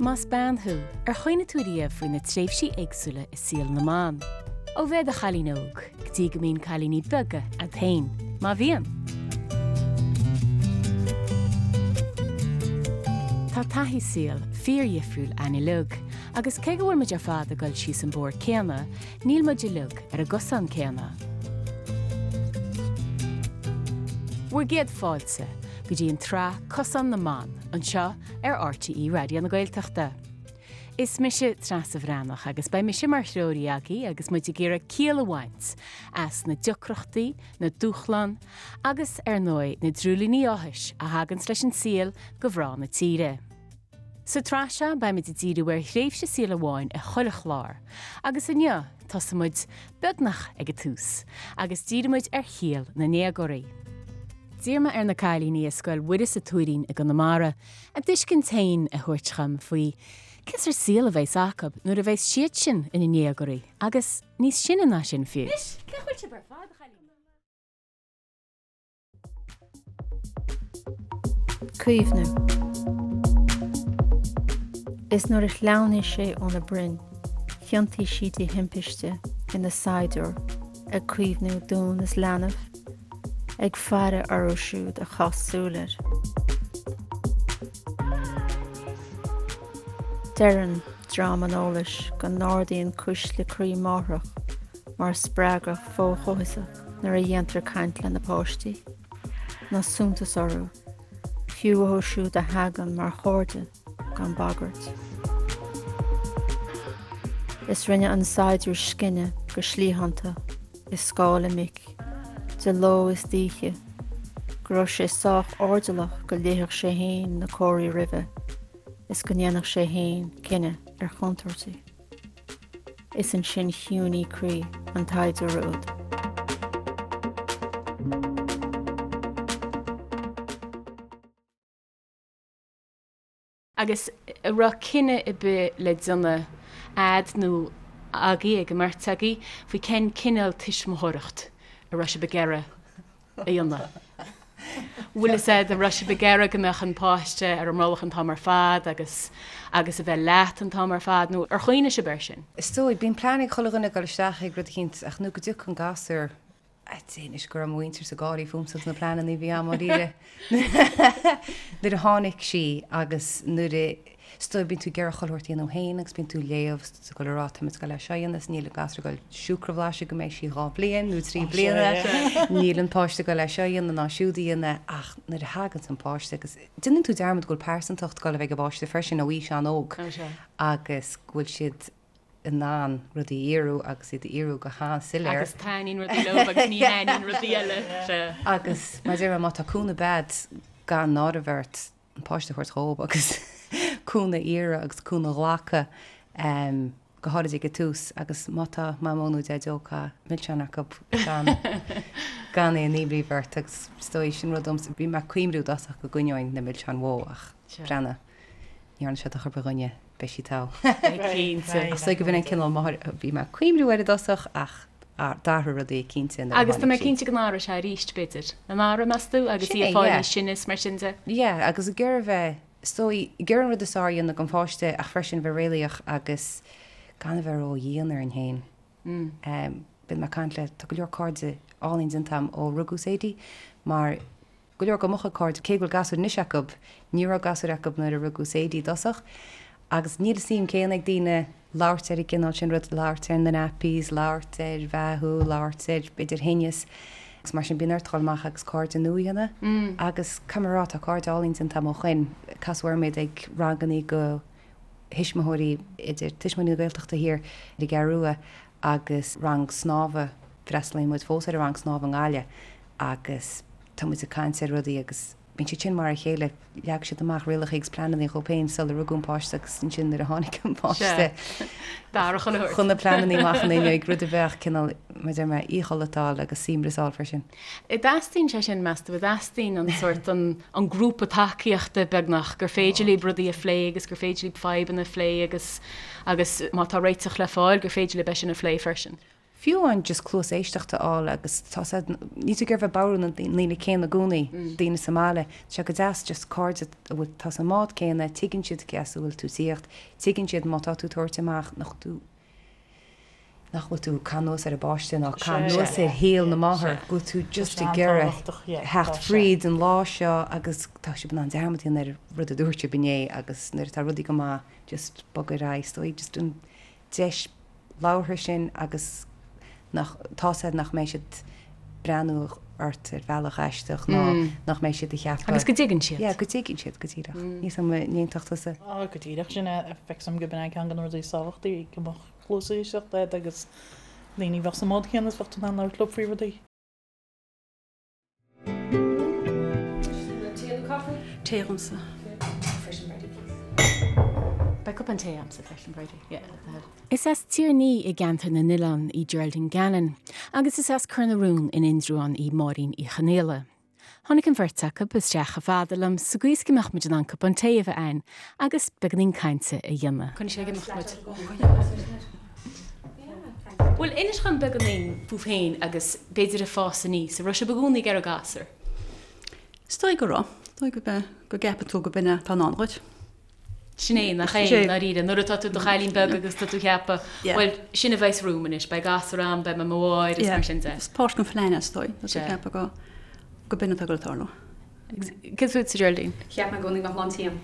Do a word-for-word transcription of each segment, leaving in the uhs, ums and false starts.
Más bean thú, ar chuimhnigh tú riamh faoi na tréimhsí éagsúla i saol na mban. Ó bheith i do chailín óg, go dtí go mbíonn cailíní beaga agat féin, má bhíonn. Tá taithí saoil fíordhifriúil againn uilig, agus cé go bhfuil muid ar fad ag dul síos an bóthar céanna, níl muid uilig ar an gcosán céanna. Bhur gcéad fáilte go dtí an tsraith Cosán na mBan, anseo ar RTÉ Raidió na Gaeltachta. Is mise Treasa Bhreathnach agus beidh mise mar threoraí agaibh agus muid ag iarraidh ciall a bhaint as na deacrachtaí, na dúshláin agus ar ndóigh na dreoilíní áthais a thaganns leis an saol do mhná na tíre. Sa tsraith seo beimid ag díriú ar thréimhse saoil amháin i chuile chlár, agus inniu tosaímid beagnach ag an tús agus dírímid ar shaol na ndéagóirí. D'iarr mé ar na cailíní i Scoil Mhuire sa Tuairín i gConamara a dtuiscint féin a thabhairt dhom faoi cén sórt saoil a bheas acu nuair a bheas siad sin ina ndéagóirí agus níos sine ná sin fiú. Anois, cé bhfuil sibh ar fad, a chailíní? Caomhnú. Is nuair a shleamhnaigh sé óna broinn, thiontaigh sí de thimpiste ina saighdiúir ag caomhnú dún is leanbh, ag faire orthu siúd a chaith súil air. Deireann dream an eolais go n-ardaíonn cuisle croí máthrach mar spreagadh fo-chomhfhiosach nuair a dhéantar caint lena páistí, ná suntas orthu, fiú uathu siúd a thagann mar chairde gan bagairt. Is rinne an saighdiúir scine go slítheánta i scáil a mic, de ló is d'oíche, go raibh sé sách airdeallach go léifeadh sé fhéin na comharthaí roimhe is go ndéanfadh sé fhéin cinneadh ar chontúirtí. Is ansin chiúnaigh croí an tsaighdiúra úd. Agus an raibh cinneadh ar bith le déanamh a'd nó agaibh, ag an mbeirt agaibh, faoi cén cineál tuismitheoireacht a raibh sibh ag iarraidh a dhéanamh? Bhfuil fhios a'd, an raibh sibh ag iarraidh go mbeadh an páiste ar an mbrollach an t-am ar fad agus agus a bheith leat an t-am ar fad nó ar chuimhnigh sibh air sin? Is dóigh, bíonn plean ag chuile dhuine ag dul isteach ag rud eicínt ach nuair go dtiocfaidh an gasúr, Anois go raibh mo mhuintirse ag gáirí fúmsa agus na pleananna a bhí a'm dáiríre nuair a tháinig sí agus nuair a, is dóigh bíonn tú ag iarraidh chuile shórt a dhéanamh féin agus bíonn tú ag léamh is tú ag dul a rá tá mé ag dul é seo a dhéanamh is níl an gasúr ag dul siúcra a bhlaiseadh go mbeidh sí dhá bhliain nó trí bliana, níl an páiste ag dul é seo a dhéanamh ná siúd a dhéanamh ach nuair a thaganns an páiste agus déanann tú dearmad go bhfuil pearsantacht ag dul a bheith ag an bpáiste freisin ó aois an-óg agus go bhfuil siad in ann rudaí a fhíorú agus iad a fhíorú go han-soiléir. Agus taitníonn rudaí leo agus ní thaitníonn rudaí eile. Sea. Agus mar a deir mé, má tá cúnamh a'd, gan náire a bheith ort an páiste a thabhairt dhób agus cúnamh a iarraidh agus cúnamh a ghlacadh, go háirid ag an tús. Agus má tá Mamó nó Deaideo tá milseáin acu gan gan aon imní a bheith ort agus is dóigh sin rud domsa. Bhí mé ag cuimriú i dtosach go gcoinneoinn na milseáin mhó ach breathnaigh, ní dhearna sé dochar do dhuine. Beidh sí togha. Cinnte. Is dóigh go b'in an cineál máthair a bhí mé ag cuimriú air i dtosach ach d'athraigh rudaí cinnte nuair a Agus tá mé tháinig sí. cinnte go n-athróidh sé arís, b'fhéidir. An athróidh, meas tú, agus Sin í é, ag fáil yeah. níos sine is mar sin de? Yeah, agus ag iarraidh bheith, is dóigh, ag iarraidh an rud is fearr a dhéanamh don pháiste ach freisin bheith réalaíoch agus gan a bheith ró-dhian orainn féin. Bíonn mé ag caint le, tá go leor cairde álainn déanta agam ó rugadh Sadie mar Go leor de mo chuid cairde, cé go bhfuil gasúir anois acu, ní raibh gasúir acu nuair a rugadh Sadie i dtosach. Agus níl an suim céanna ag daoine labhairt ar an gcineál sin rud, labhairt ar na nappies, labhairt ar bheathú, labhairt ar b'fhéidir thinneas. Agus mar sin bíonn ort dul amach agus cairde nua a dhéanamh. Agus caithfidh mé a rá, tá cairde álainn déanta agam ó shoin. Casadh orm iad ag rangannaí do thuismitheoirí, idir Tuismitheoirí na Gaeltachta thiar ar an gCeathrú Rua agus rang snámha, freastalaíonn muid fós ar an rang snámha i nGaillimh. agus tá muid ag caint ar rudaí agus bíonn siad sin mar a chéile, leag siad amach rialacha agus pleananna dhóibh féin sular rugadh an páiste agus ansin nuair a tháinig an páiste chuaigh na pleananna amach an fhuinneoig, rud a bheadh cineál, mar a deir mé, íoschodlatáil agus suaimhneas a fháil freisin. An dteastaíonn sé sin, meas tú, an dteastaíonn an sórt, an an grúpa tacaíochta beagnach, gur féidir libh rudaí a phlé agus gur féidir libh fadhbanna a phlé agus agus má tá réiteach le fáil gur féidir libh é sin a phlé freisin? Fiú amháin just cluas éisteachta a fháil agus tá sé, níl tú ag iarraidh bheith ag bodhrú na ndaoine céanna i gcónaí, daoine sa mbaile, tá sé go deas just cairde a bhfuil, tá sa mbád céanna, tuigeann siad cé as a bhfuil tú ag tíocht, tuigeann siad má tá tú ag tabhairt amach nach tú, nach bhfuil tú ag caitheamh anuas ar an bpáiste ná ag caitheamh anuas ar shaol na máthar, go bhfuil tú just ag iarraidh theacht fríd an lá seo agus tá sibh in ann dearmad a dhéanamh ar an rud a dúirt sibh inné agus nuair atá rudaí go maith just bog ar aghaidh, is dóigh just an deis labhartha sin agus nach, tá's agat nach mbeidh siad breathnú ort ar bhealach aisteach ná nach mbeidh siad ag ceapadh. Agus go dtuigeann siad. Yeah, go dtuigeann siad, go díreach. Níl 's agam an n-aontódh tusa? Á, go díreach, sin é, feictear dom gurb in é ceann de na rudaí is tábhachtaí, go mbeadh cluas éisteachta agat agus daoine a bheadh sa mbád céanna is bheadh tú in ann labhairt leo faoi rudaí. Tae agamsa. Beidh cupán tae agamsa freisin, Bridie. Is as Tír Ní i gCeantar na nOileán í Geraldine Gannon agus is as Cor na Rún in Indreabhán í Máirín Uí Chonaola. Tháinig an bheirt acu isteach chomh fada liom sa gcaoi is go mbeadh muid in ann cupán tae a bheith againn agus beagáinín cainte a dhéanamh. Coinnigh sé ag imeacht muid. Bhuel, inis dhom beagáinín fúibh féin agus b'fhéidir ag fás aníos. An raibh sibh i gcónaí ag iarraidh gasúr? Is dóigh go raibh. Is dóigh go go gceapann tú go b'in é atá i ndán dhuit. Sin é, nach é, i ndáiríre. Nuair atá tú i do chailín beag agus tá tú ag ceapadh, bhuel, sin a bheas romham anois, beidh gasúr agam, beidh mé i mo mháthair is mar sin de. Is páirt den phlean é, is dóigh. Tá tú ag ceapadh go go b'in atá ag dul a tarlú. Cad fútsa, Geraldine? Cheap mé i gcónaí go mbeadh lán tí agam.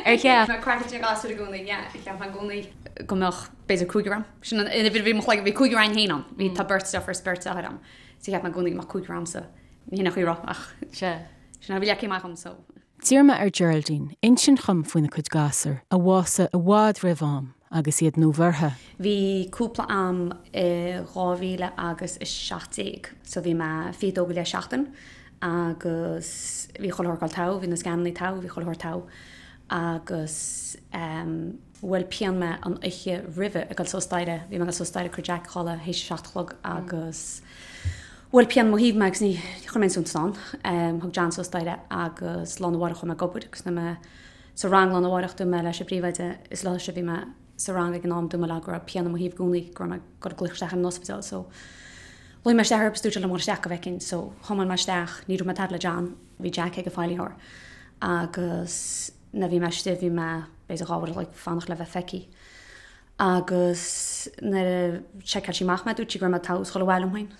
Ar cheap? Mé craiceáilte ag gasúir i gcónaí, yeah. Cheap mé i gcónaí go mbeadh b'fhéidir cúigear agam. Sin an uimhir a bhí i mo chloigeann, bhí cúigear againn féin ann. Bhí, tá beirt deirfiúr is beirt deartháir agam. So cheap mé i gcónaí go mbeadh cúigear agamsa. Ní hin an chaoi a raibh ach Sea. sin a bhí leagtha amach agam so. D'iarr mé ar Geraldine insint dhom faoina cuid gasúr, a bhásaigh i bhfad roimh am agus iad nuabheirthe. Bhí cúpla am i dhá mhíle agus a seacht déag so bhí mé fiche dó go leith seachtain agus bhí chuile shórt ag dul togha, bhí na scanannaí togha, bhí chuile shórt togha agus bhuail pian mé an oíche roimhe ag dul suas staighre, bhí mé ag dul suas staighre ag cur Jack a chodladh théis a seacht a chlog agus bhuail pian mo thaobh mé agus ní chuir mé aon suntas ann. Thug John suas staighre agus lá arna mhárach chuaigh mé ag obair agus nuair mé sa rang lá arna mhárach dúirt mé leis an bpríomhoide is leis a bhí mé sa rang ag an am dúirt mé leo go raibh pian i mo thaobh i gcónaí go raibh mé ag dul ag glaoch isteach ar an ospidéal so ghlaoigh mé isteach orthu agus dúirt siad liom dul isteach go bhfeicfinn so thiomáin mé isteach ní raibh mé tada le John bhí Jack ag an feighlítheoir agus nuair bhí mé istigh bhí mé b'fhéidir dhá uair a chloig fanacht le bheith feicthe agus nuair a sheiceáil sí amach mé dúirt sí go raibh mé togha is dhul abhaile liom féin.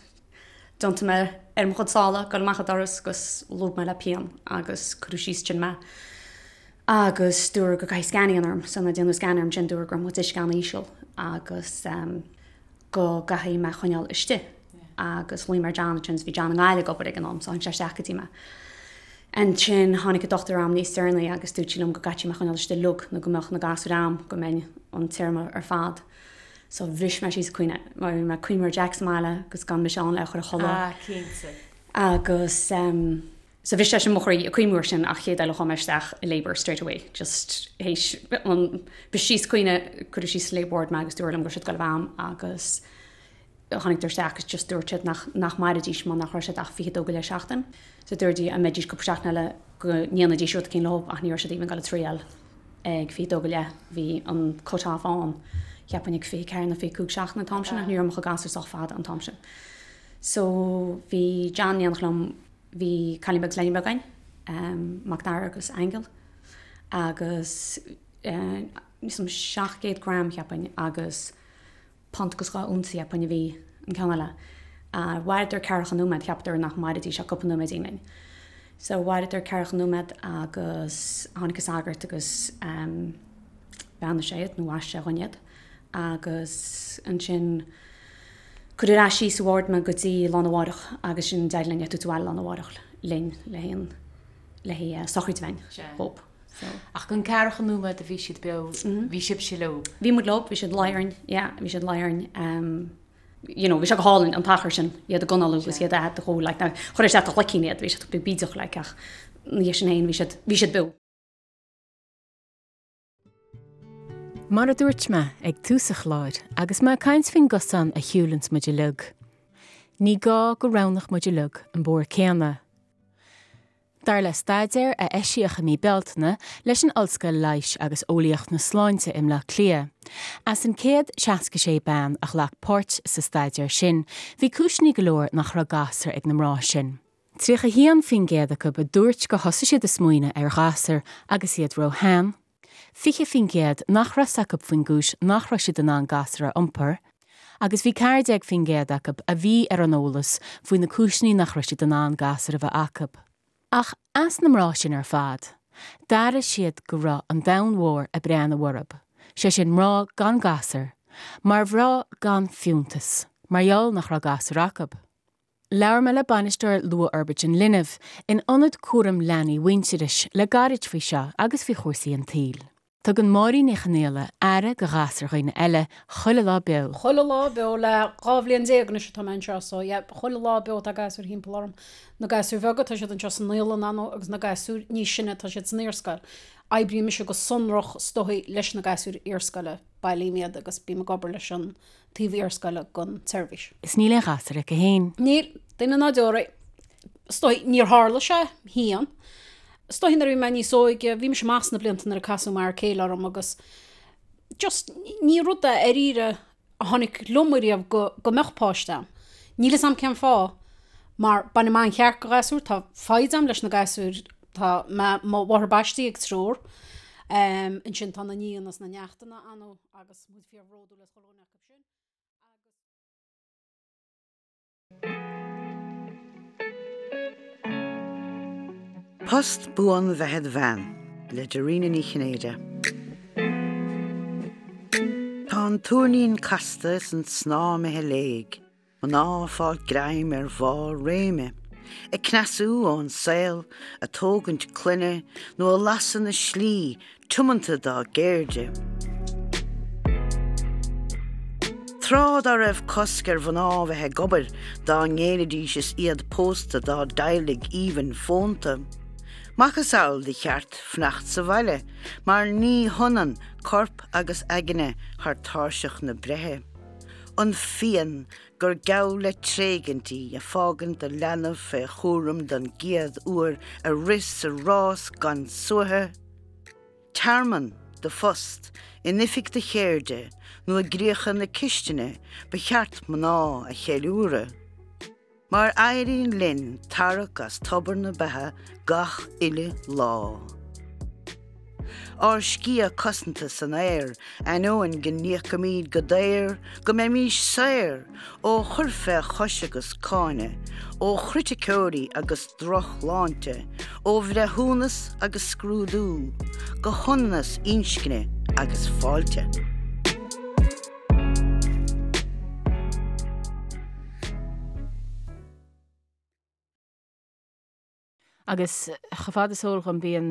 D'iontaigh mé ar mo chuid sála ag dul amach an doras agus lúb mé le pian agus cuireadh síos ansin mé agus dúradh go gcaithfí scan a dhéanamh orm so nuair a déanadh scan orm ansin dúradh go raibh mo chuid uisce an-íseal agus go gcaithfí mé a choinneáil istigh agus ghlaoigh mé ar John ansin bhí John i nGaillimh ag obair ag an am so tháinig sé isteach go dtí mé. Ansin tháinig an dochtúir a'm níos deireanaí agus dúirt sí liom go gcaithfí mé a choinneáil istigh uilig nó go mbeadh na gasúir a'm go mbeinn an téarma ar fad. So bhris mé síos ag caoineadh mar bhí mé ag cuimhneamh ar Jack sa mbaile agus gan mise ann le chur a chodladh. Ah, cinnte. Agus um, so bhris sé sin mo chroí ag cuimhneamh air sin ach chéad eile chuaigh mé isteach i labour straight away just théis an bhris síos caoineadh cuireadh síos sa labour ward mé agus dúradh liom go raibh siad ag dul a bheith a'm agus tháinig isteach agus just dúirt siad nach nach mairfidís mar nach raibh siad ach fiche dó go leith seachtain. So dúirt dá mbeidís cúpla seachtain eile go ndéanfaidís rud éicint leo ach ní raibh siad even ag dul a triail ag fiche dó go leith. Bhí an cut off ann cheapfainn ag fiche ceathair nó fiche cúig seachtain an t-am sin ach ní raibh mo chuid gasúr sách fada an t-am sin. So bhí John in éineacht liom bhí cailín beag is leaidín beag againn, um, Mac Dara agus Aingeal agus uh, níos seacht gcéad gram cheapfainn agus punt agus dhá unsa cheapfainn a bhí an ceann eile. Mhaireadar ceathracha nóiméad, cheapadar nach mairfidís ach cúpla nóiméad linn. So mhaireadar ceathracha nóiméad agus tháinig an sagart agus um, bheannaigh sé iad nó bhaist sé dhúinn iad. Agus ansin cuireadh ar ais síos sa ward mé go dtí lá arna mhárach agus sin d'éirigh linn iad a thabhairt abhaile lá arna mhárach linn le haon le haghaidh sochraid a bheith againn dhóibh. So. Ach an ceathracha nóiméad a bhí siad beo, bhí sibhse leo? Bhí muid leo, bhí siad luí orainn, yeah, bhí siad luí orainn. Um, you know, bhí sé go hálainn an t-achar sin, iad ag análú agus iad a dhó, like, na, chuir isteach do ghlaicín iad, bhí siad beag bídeach, like, ach ní sin féin, bhí siad, bhí siad beo. Mar a dúirt mé ag tús an chláir agus mé ag caint faoin gcosán a shiúlanns muid uilig. Ní gá go roghnódh muid uilig an bóthar céanna. Dar le staidéar a eisíodh i mí Bealtaine leis an Ollscoil Leighis agus Eolaíocht na Sláinte i mBleá Cliath. As an céad seasca sé bean a ghlac páirt sa staidéar sin, bhí cúiseanna go leor nach raibh gasúr ag na mná sin. Tríocha haon faoin gcéad acu a dúirt gur thosaigh siad ag smaoineamh ar ghasúr agus iad róshean. Fiche faoin gcéad nach raibh a fhios acu faoin gcúis nach raibh siad in ann gasúr a iompar, agus bhí ceathair déag faoin gcéad acu a bhí ar an eolas faoi na cúiseanna nach raibh siad in ann gasúr a bheith acu. Ach as na mná sin ar fad, d'airigh siad go raibh an domhan mhór ag breathnú orthu, sé sin mná gan gasúr, mar mhná gan fiúntas, mar gheall nach raibh gasúr acu. Labhair mé le bainisteoir luathfhorbairt an linbh in ionad cúram leanaí Mhuintearais le gairid faoi seo agus faoi chúrsaí an tsaoil. Tugann Máirín Ní Chonaola aire do ghasúr dhaoine eile chuile lá beo. Chuile lá beo le dhá bhliain déag anois atá mé anseo so yeah, chuile lá beo tá gasúir thimpeall orm. Na gasúir bheaga tá siad anseo sa naíolann ann agus na gasúir níos sine tá siad san iarscoil. Oibrím mise go sonrach is dóichí leis na gasúir iarscoile, bailím iad agus bím ag obair leis an taobh iarscoile den tseirbhís. Is níl aon ghasúr aici féin. Níl, duine ná deoraí. Is dóichí níor tharla sé féin. Is dóichí nuair a bhí mé níos óige, bhí mise amach sna blianta nuair a casadh m'fhear céile orm agus just ní rud é dáiríre a tháinig liom ariamh go, go mbeadh páiste a'm. Níl fhios a'm cén fáth, mar bainim an-cheart de ghasúir, tá foighid a'm leis na gasúir, tá mé, mo mháthair baistí ag triúr, um, ansin tá na nianna is na neachtanna ann agus muid fíorbhródúil as chuile dhuine acu sin. Post buan bheith id bhean le Dairena Ní Chinnéide. Tá an tuairnín casta is an snáth imithe i léig, mná ag fáil greim ar bharr réime, ag cneasú ón saol, ag tógaint clainne nó ag lasadh na slí tiomanta dá gceirde. Tráth dá raibh cosc ar mhná bheith ag obair dá ngéillfidís is iad pósta dá dteaghlaigh aoibhinn fónta. Macasamhail de cheart fanacht sa bhaile, mar ní hionann corp agus aigne thar tairseach na breithe. An phian gur geall le tréigint í ag fágaint do leanbh fé chúram don gcéad uair ag rith sa rás gan suaitheadh. Tearmann do phost in oifig do cheirde nó i gcríocha na cistine ba cheart mná a cheiliúradh. Mar éiríonn linn tarrac as tobar na beatha gach uile lá. Ár sciath cosanta san aer, ainneoin go n-íocaimid go daor, go mbeimís saor ó chur fé chois agus cáineadh, ó chriticeoirí agus drochshláinte, ó bhreithiúnas agus scrúdú, go hionannas inscne agus fáilte. Agus chomh fada is eol dhom bíonn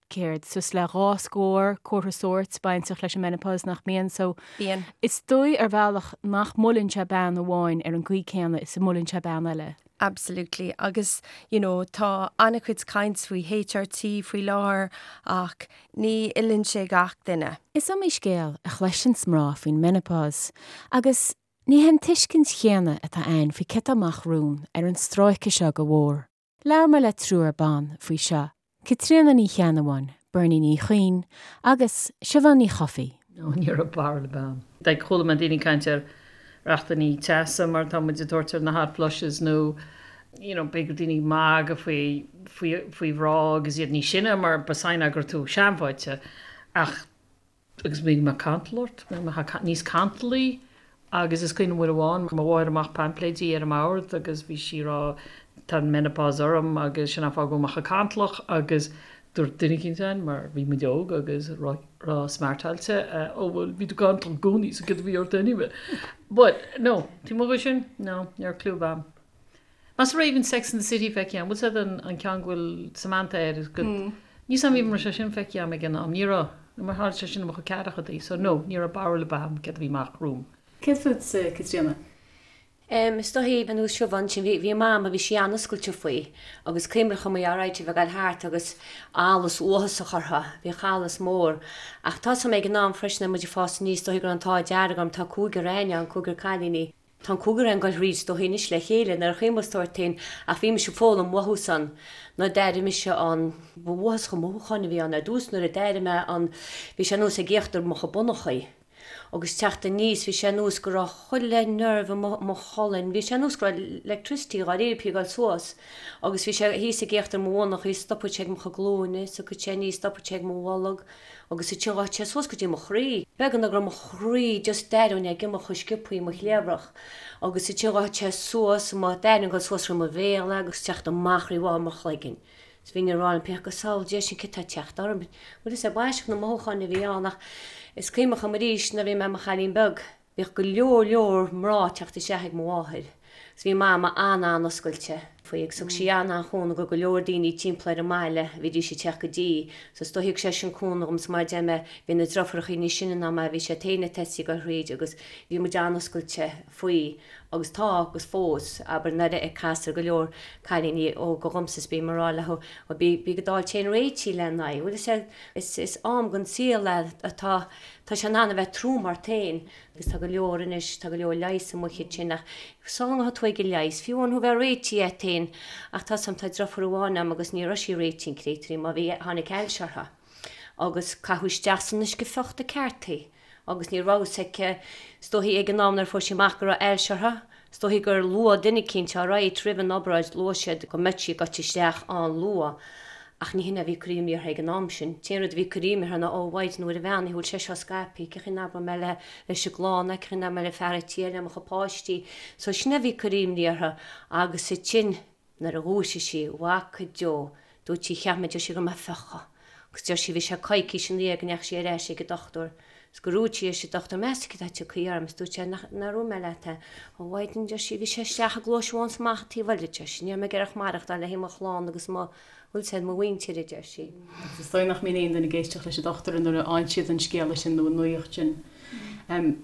céard suas le dhá scór comhartha sóirt bainteach leis an menopause nach mbíonn so Bíonn. Is dóigh ar bhealach nach mbuaileann sé bean amháin ar an gcaoi céanna is a mbuaileann sé bean eile. Absolutely. Agus you know, tá an-chuid caint faoi HRT faoi láthair ach ní fheileann sé gach duine. Is iomaí scéal a chloiseann mná faoin menopause agus ní hé an tuiscint chéanna atá ann faoi cad atá amach romhainn ar an stráice seo go mhór. Labhair mé le triúr ban faoi seo, Caitríona Ní Cheannabháin, Bernie Ní Chuinn agus Siobhán Ní Chofaigh. No, ní raibh barúil ar bith a'm. Like chuala mé daoine caint ar rachtannaí teasa mar tá muid ag tabhairt ar na hot flushes nó you know, b'fhéidir daoine ag magadh faoi faoi faoi mhná agus iad níos sine mar ba sign go raibh tú seanmhaite ach agus bhí mé cantal ort, bhí mé níos cantalaí agus is cuimhin uair amháin mo mháthair amach paimpléidí ar an mbord agus bhí sí ag rá tá an menopause orm agus sin an fáth go bhfuil mé chomh cantalach agus dúirt duine eicínt ann mar bhí muid óg agus ró-smartáilte ó bhuel bhí tú cantalach i gcónaí so cad a bhí ort anyway. But no, taobh amuigh de sin, no, ní raibh clue a'm. Más raibh even Sex and the City feicthe a'm, bhfuil sé an an ceann go bhfuil Samantha air is go mm. Ní sam even sé sin feicthe a'm ag an am, ní raibh, mar tharla sé sin i mo chuid ceathrachaidí, so no, ní raibh barúil ar bith a'm céard a bhí amach romham. Céard fútsa, Caitríona? Um, is dóichí ar nós Siobhán sin bhí bhí mam a bhí sí an-oscailte faoi agus cuimhním chomh maith alright bheith ag dul thart agus allas uathasach orthu, bhí allas mór. Ach tá ag an am freisin muid ag fás aníos dóichí go raibh an t-ádh dearg orm tá cúigear againn, cúigear cailíní. Tá an cúigear againn ag goil thríd is dóichí anois le chéile nuair a chuimhníos ort féin ach bhí mise ag foghlaim uathu san nuair a d'airigh mise an ba uathásach an mothúcháin a bhí ann ar dtús nuair a d'airigh mé an bhí sé nós ag íochtar mo chuid bonnachaí agus teacht aníos bhí sé nós go raibh chuile nerve i mo mo cholainn bhí sé nós go raibh electricity dháiríre ag goil suas agus bhí sé thíos ag íochtar mo bhonnachaí stopadh sé ag mo chuid glúine tiocfadh sé aníos stopadh sé ag mo bholg agus ansin ghabhadh sé suas go dtí mo chroí. Beagnach go raibh mo chroí just d'aireoinn ag imeacht chomh sciobthaí i mo chliabhrach agus ansin ghabhadh sé suas mo d'aireoinn ag dul suas thrí mo bhéal agus teacht amach thrí bharr mo chloiginn. Is bhínn ag rá liom féin go samhail Dé sin cad tá ag teacht orm. Bhuel is é b'aisteach na mothúcháin a bhí ann ach is cuimhneach liom arís nuair a bhí mé i mo chailín beag bhíodh go leor leor mná ag teacht isteach ag mo mháthair 's bhí Mama an-an-oscailte faoi agus thug sí an-an-chúnamh go go leor daoine timpeall ar an mbaile a bhídís ag teacht go dtí so is dóigh thug sé sin cúnamh dhom 's mar a deir mé bhí na driofúrachaí níos sine ná mé bhí siad féin ag tosaí ag goil thríd agus bhí muid an-oscailte faoi agus tá agus fós abair nuair a castar go leor cailíní óga dhomsa is bím ag rá leo ó bí bí ag dul téann réitigh le n-aghaidh bhfuil sé is is am den saol é atá tá sé in ann a bheith trom ort féin agus tá go leor anois tá go leor leighis amuigh ansin ach sula ngabhfaidh tú ag an leigheas fiú amháin thú bheith réitithe ort féin ach tá sam tá driofúr amháin a'm agus ní raibh sí réitithe an créatúirín má bhí tháinig ailse uirthi agus caitheadh isteach san uisce fiuchta ceart í agus ní raibh fhios aici is dóichí ag an am nuair a fuair sí amach go raibh ailse uirthi is dóichí gur luadh duine eicínt alright roimh an obráid luaigh siad go mbeadh sí ag goil isteach an-luath ach ní hin a bhí ag cur imní uirthi ag an am sin. T-aon rud a bhí ag cur imní uirthi ná ó mhaighdean mhuire bheannaithe bhfuil sé seo scaipthe cén chaoi a n-abróidh mé le leis an gclann é cén chaoi a n-abróidh mé le fear an tí le mo chuid páistí so sin a bhí ag cur imní uirthi agus ansin nuair a dhúisigh sí bhfaca Joe dúirt sí cheap mé deir sí go raibh mé fiuchadh agus deir sí bhí sé coicís ina dhiaidh go ndeachaigh sí ar ais ag an dochtúir 's gur dhúirt sí leis an dochtúir meas tú cad tá tagtha orm is dúirt sé nach nár dhúirt mé leat é a mhaighdean deir sí bhí sé isteach an gluais amháin 's amach an taobh eile deir sí ní raibh mé ag iarraidh maireachtáil le haghaidh mo chlann agus mo bhfuil sé mo mhuintir a deir sí. Agus is dóigh nach mbíonn aon duine ag éisteacht leis an dochtúir nuair a fhaigheann siad an scéala sin nó an nuaíocht sin.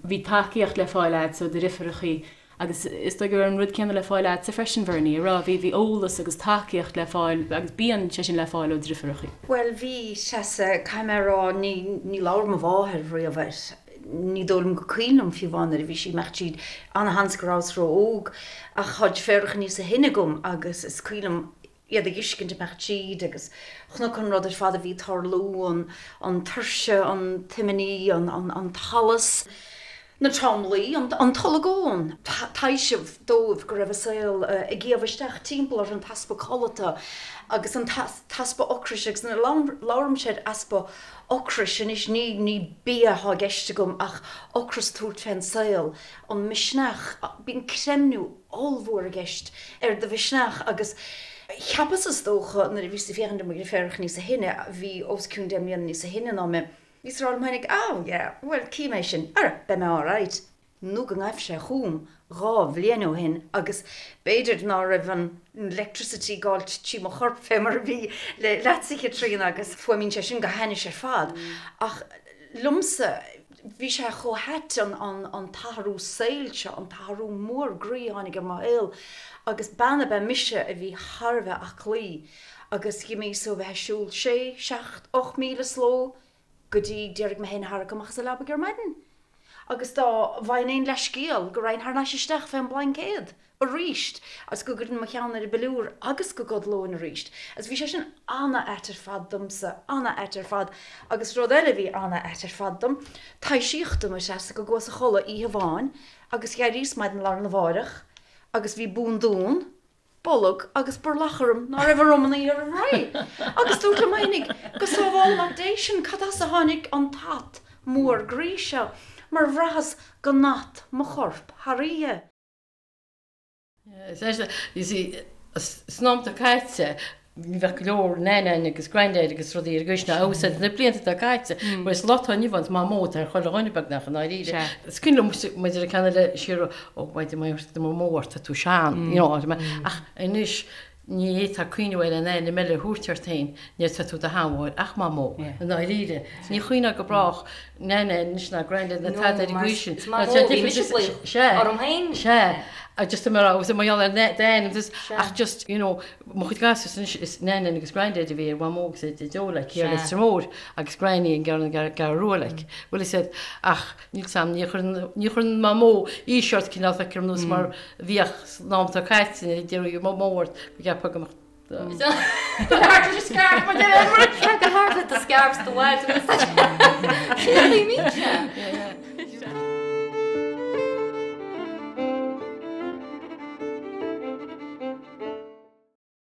Bhí tacaíocht le fáil a'dsa ó do dhriofúrachaí Agus is dóigh go raibh an rud céanna le fáil a'dsa freisin, Bhernie, a raibh, bhí, bhí eolas agus tacaíocht le fáil agus bíonn sé sin le fáil ó dhriofúrachaí. Bhuel, bhí, Treasa, caithfidh mé a rá, ní, ní labhair mo mháthair riamh air. Ní dóigh liom go cuimhin liom fiú amháin nuair a bhí sí, mbeadh sí, ana-sheans go rabhas ró-óg, ach tá deirfiúracha níosa shine agam agus is cuimhin liom iad ag fheiscint imeacht tríd agus chonac an rud ar fad a bhí ag tarlú, an, an tuirse, an t-imní, an, an, an t-allas. na tromluí, an t-olagón, taibhseamh dóibh go raibh a saol ag iamh isteach timpeall orthu, an t-easpa codlata agus an t-easpa ocrais agus nuair a labhraímse ar easpa ocrais anois ní ní bia atá i gceist agam ach ocras tabhairt fén saol, an misneach, bíonn creimniú ollmhór i gceist ar do mhisneach agus cheapas is dócha nuair a bhíos ag féachaint ar mo dheirfiúracha níosa shine, a bhí os cionn deich mbliana níosa shine ná mé, Bhíos ag rá liom féinig, oh yeah, bhuel, cífidh mé sin, ara, beidh mé alright. Nó go ngaibh sé chugam dhá bhliain ó shin agus b'fhéidir ná raibh an electricity ag gabháilt trí mo chorp fé mar a bhí le leatsa a Chaitríona agus fuaimíonn sé sin go hainnis ar fad. Ach liomsa, bhí sé chomh hait an, an, an t-athrú saoil seo, an t-athrú mór groí a tháinig ar mo shaol agus bean ab ea mise a bhí thar a bheith aclaí agus dh'imíos ó bheith ag siúl sé, seacht, ocht míle sa ló go dtí d'éirigh mé féin a tharrac amach as an leabaidh ar maidin agus dá bhfaighinn aon leithscéal go raghainn thar n-ais isteach fén bplaincéad aríst agus go gcuirfinn mo cheann ar an bpiliúr agus go gcodlóinn aríst. Agus bhí sé sin ana-ait ar fad domsa, ana-ait ar fad. Agus rud eile a bhí ana-ait ar fad dom, taibhsíodh dom a Threasa go gcuas a chodladh oíche amháin agus dh'éiríos maidin lá arna mháireach agus bhí búndún, bolg agus burlach orm ná raibh orm an oíche roimh ré. Agus dúrt liom fhéinig, go sábhála Mac Dé sinn, cad as a tháinig an t-at mór groí seo, mar bhraitheas go n-at mo chorp thar oíche. You see, san am atá caite, ní bheadh go leor nan agus granddad agus rudaí ar an gcaoi sin abhus na blianta atá caite, mar sa lá atá inniu ann is mamó atá ar chuile dhuine beagnach i ndáiríre. Is cuimhin liom muid ar an ceann eile siar ó mhaidin má tá mamó ort tá tú sean, you know, ach anois ní fhéadfá cuimhneamh ar aon ainm eile a thabhairt ort féin nuair atá tú i do sheanmháthair ach mamó i ndáiríre. Ní chuimhneofá go brách nan anois ná granddad ná tada ar an gcaoi sin. Sea, orm féin. Sea, Just mar agus mar gheall ar d'ainm ach just you know mo chuid gasúr anois is nan agus granddad a bhí ar Mhamó agus ar Daideo like thiar i Leitir Móir agus granny an gceann an gCeathrú Rua like bhfuil a fhios agat ach níl 's a'm ní chuireann ní chuireann Mamó aois ort cineál feictear dom nós mar a bhíodh san am atá caite nuair a d'iarraidh Mamó ort go gceapfá go mbeadh Go hard le scarf mar deir Go hard le do scarf do bhaid. Sin a bhí.